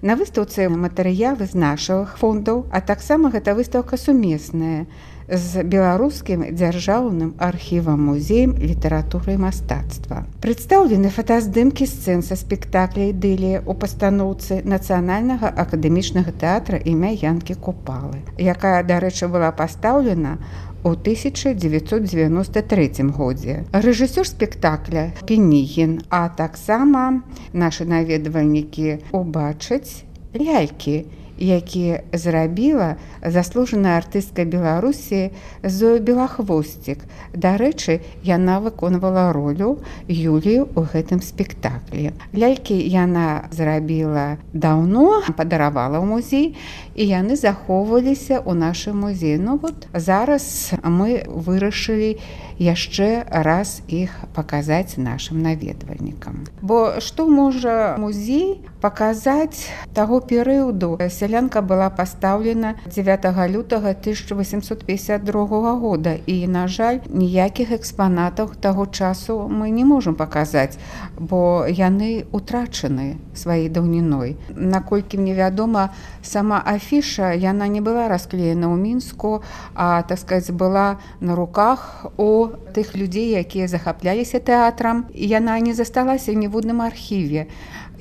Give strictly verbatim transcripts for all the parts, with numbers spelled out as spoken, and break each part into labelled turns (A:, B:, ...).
A: На выстаўцы матэрыялы з нашых фондаў, а таксама гэта выстаўка сумесная з беларускім дзяржаўным архівам музеем літаратуры і мастацтва. Прадстаўлены фотаздымкі сцэн са спектакля «Ідылія» у пастаноўцы Нацыянальнага акадэмічнага тэатра імя Янкі Купалы, якая, дарэчы, была пастаўлена у тысяча дзевяцьсот дзевяноста трэцім годзе. Рэжысёр спектакля Пенігін, а таксама нашы наведвальнікі убачаць лялькі, які зрабіла заслужаная артыстка Беларусі Зоя Белахвосцік. Дарэчы, яна выконвала ролю Юлію ў гэтым спектаклі. Лялькі яна зрабіла даўно, падаравала ў музей, і яны захоўваліся ў нашым музеі. Ну вот зараз мы вырашылі яшчэ раз іх паказаць нашым наведвальнікам. Бо што можа музей паказаць таго перыяду? Сялянка была пастаўлена дзевятага лютага тысяча васемсот пятьдесят другога года, і, на жаль, ніякіх экспанатаў таго часу мы не можам паказаць, бо яны утрачаны сваёй даўніной. Наколькі мне вядома, сама афіша, яна не была расклеена ў Мінску, а, так сказаць, была на руках у тых людзей, якія захапляліся тэатрам. Яна не засталася ні в одным архіве.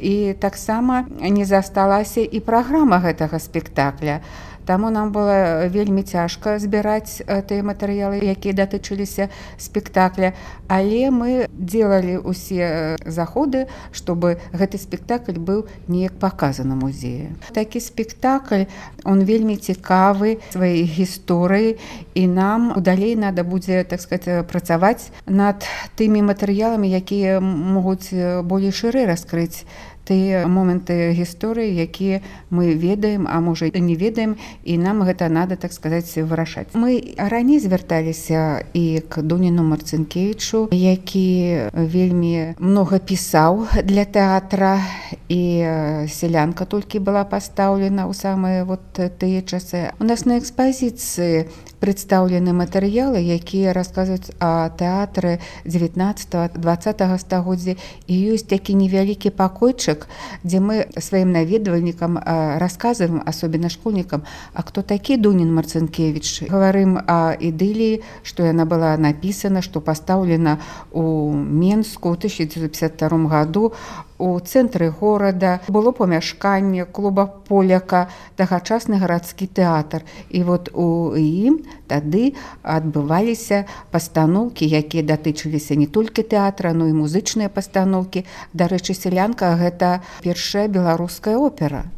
A: І таксама не засталася і праграма гэтага спектакля. Таму нам было вельмі цяжка збіраць тыя матэрыялы, якія датычыліся спектакля. Але мы делали ўсе заходы, чтобы гэты спектакль быў неяк паказаны музею. Такі спектакль, он вельмі цікавы сваёй гісторыі, і нам далей надо будзе, так сказать, працаваць над тымі матэрыяламі, якія могуць болей шырэй раскрыць тыя моманты гісторыі, якія мы ведаем, а можа і не ведаем, і нам гэта надо, так сказаць, вырашаць. Мы раней звярталіся і к Дуніну Марцінкевічу, які вельмі многа пісаў для тэатра, і «Селянка» толькі была пастаўлена ў самыя вот тыя часы. У нас на экспазіцыі прадстаўлены матэрыялы, якія расказваюць о тэатры дзевятнаццатага-дваццатага стагоддзя, і ёсць такі невялікі пакойчык, где мы своим наведвальникам рассказываем, особенно школьникам, а кто такі Дунін Марцінкевіч. Говорим о «Ідыліі», что она была написана, что поставлена у Менску ў тысяча девятьсот пятьдесят втором году у цэнтры горада. Было памяшканне клуба «Поляка», тагачасны гарадскі тэатр. І вот у ім тады адбываліся пастаноўкі, якія датычыліся не толькі тэатра, но і музычныя пастаноўкі. Дарэчы, «Селянка» — гэта першая беларуская опера.